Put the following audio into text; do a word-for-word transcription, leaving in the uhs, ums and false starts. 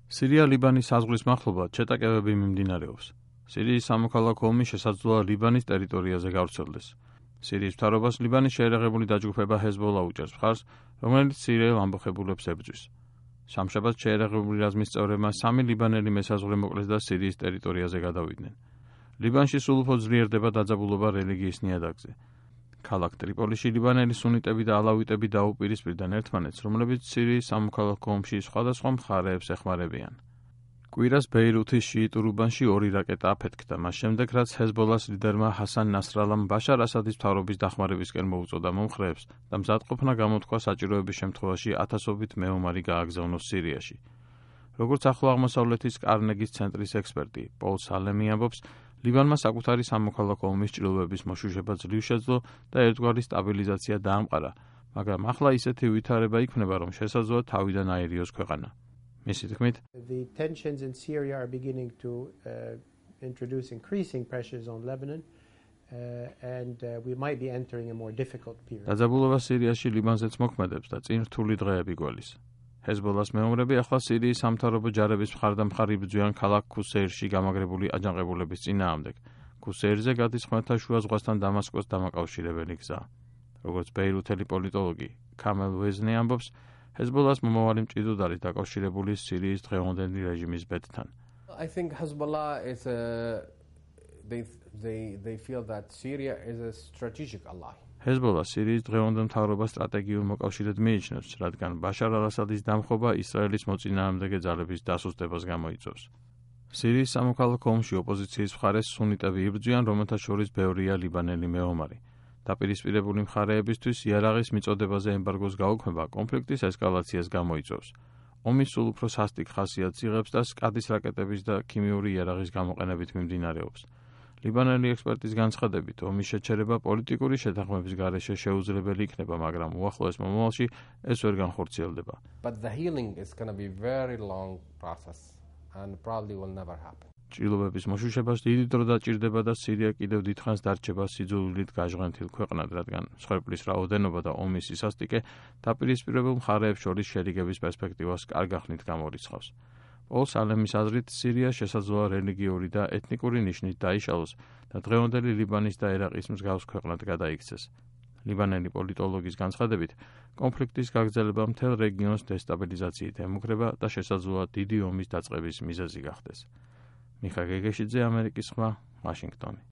სირია-ლიბანის საზღვრის მახლობლად შეტაკებები მიმდინარეობს. სირიის სამოქალაქო ომი შესაძლოა ლიბანის ტერიტორიაზე გავრცელდეს. სირიის მთავრობას ლიბანის შეერაღებული დაჯგუფება ჰეზბოლა უჭერს მხარს, რომელიც სირიელ ამბოხებულებს ებრძვის. სამშაბათს შეერაღებული რაზმის წევრებმა სამი ლიბანელი მესაზღვრე მოკლეს და სირიის ტერიტორიაზე გადავიდნენ. ლიბანში სულ უფრო ძლიერდება დაძაბულობა რელიგიის ნიადაგზე. ქალაქ ტრიპოლიში ლიბანელი სუნიტები და ალავიტები დაუპირისპირდნენ ერთმანეთს, რომლებიც სირიის სამოქალაქო ომში სხვადასხვა მხარეებს ეხმარებიან. კვირას ბეირუთის შიიტურ უბანში ორი რაკეტა აფეთქდა, მას შემდეგ რაც ჰეზბოლას ლიდერმა ჰასან ნასრალამ ბაშარ ასადის მთავრობის დახმარებისკენ მოუწოდა მომხრეებს და მზადყოფნა გამოთქვა საჭიროების შემთხვევაში ათასობით მეომარი გააგზავნოს სირიაში. როგორც ახლო აღმოსავლეთის კარნეგის ცენტრის ექსპერტი პოლ სალემი ამბობს, ლიბანმა საკუთარი სამოქალაქო ომის ჭრილობების მოშუშება ძლივ შეძლო და ერთგვარი სტაბილიზაცია დაამყარა, მაგრამ ახლა ისეთი ვითარება იქნება, რომ შესაძლოა თავიდან აერიოს ქვეყანა. მისი თქმით, The tensions in Syria are beginning to uh, introduce increasing pressures on Lebanon uh, and uh, we might be entering a more difficult period. დაძაბულობა სირიაში ლიბანზეც მოქმედებს და წინ რთული დღეები გველის. ჰეზბოლას მეომრები ახლა სირიის სამთავრობო ჯარების მხარდამხარ იბრძვიან ქალაქ ქუსეირში გამაგრებული აჯანყებულების წინააღმდეგ. ქუსეირზე გადის ხმელთაშუა ზღვასთან დამასკოს დამაკავშირებელი გზა. როგორც ბეირუთელი პოლიტოლოგი კამელ ვეზნი ამბობს, ჰეზბოლას მომავალი მჭიდროდ არის დაკავშირებული სირიის დღევანდელი რეჟიმის ბედთან. I think Hezbollah is a they they they feel that Syria is a strategic ally. ჰეზბოლა სირიის დღევანდელ მთავრობას სტრატეგიულ მოკავშირედ მიიჩნევს, რადგან ბაშარ ალ-ასადის დამხობა ისრაელის მოწინააღმდეგე ძალების დასუსტებას გამოიწვევს. სირიის სამოქალაქო ომში ოპოზიციის მხარეს სუნიტები იბრძვიან, რომელთა შორის ბევრია ლიბანელი მეომარი. დაპირისპირებული მხარეებისთვის იარაღის მიწოდებაზე ემბარგოს გაუქმება კონფლიქტის ესკალაციას გამოიწვევს. ომი სულ უფრო სასტიკ ხასიათს იღებს და სკადის რაკეტების და ქიმიური იარაღის გამოყენებით მიმდინარეობს. ლიბანელი ექსპერტის განცხადებით, ომის შეჩერება პოლიტიკური შეთანხმების გარეშე შეუძლებელი იქნება, მაგრამ უახლოეს მომავალში ეს ვერ განხორციელდება. But the healing is going to be very long process and probably will never happen. ჭრილობების მოშუშებას დიდი დრო დაჭირდება და სირია კიდევ დიდხანს დარჩება სიძულვილით გაჟღენთილ ქვეყნად, რადგან მსხვერპლის რაოდენობა და ომის სისასტიკე დაპირისპირებულ მხარეებს შორის შერიგების პერსპექტივას კარგ ახსნით გამორიცხავს. პოლ სალემის აზრით, სირია შესაძლოა რელიგიური და ეთნიკური ნიშნით დაიშალოს და დღევანდელი ლიბანის და ერაყის მსგავს ქვეყნად გადაიქცეს. ლიბანელი პოლიტოლოგის განცხადებით, კონფლიქტის გაგრძელება მთელ რეგიონს დესტაბილიზაციით ემუქრება და შესაძლოა დიდი ომის დაწყების მიზეზი გახდეს. მიხა გეგეშიძე, ამერიკის ხმა, ვაშინგტონი.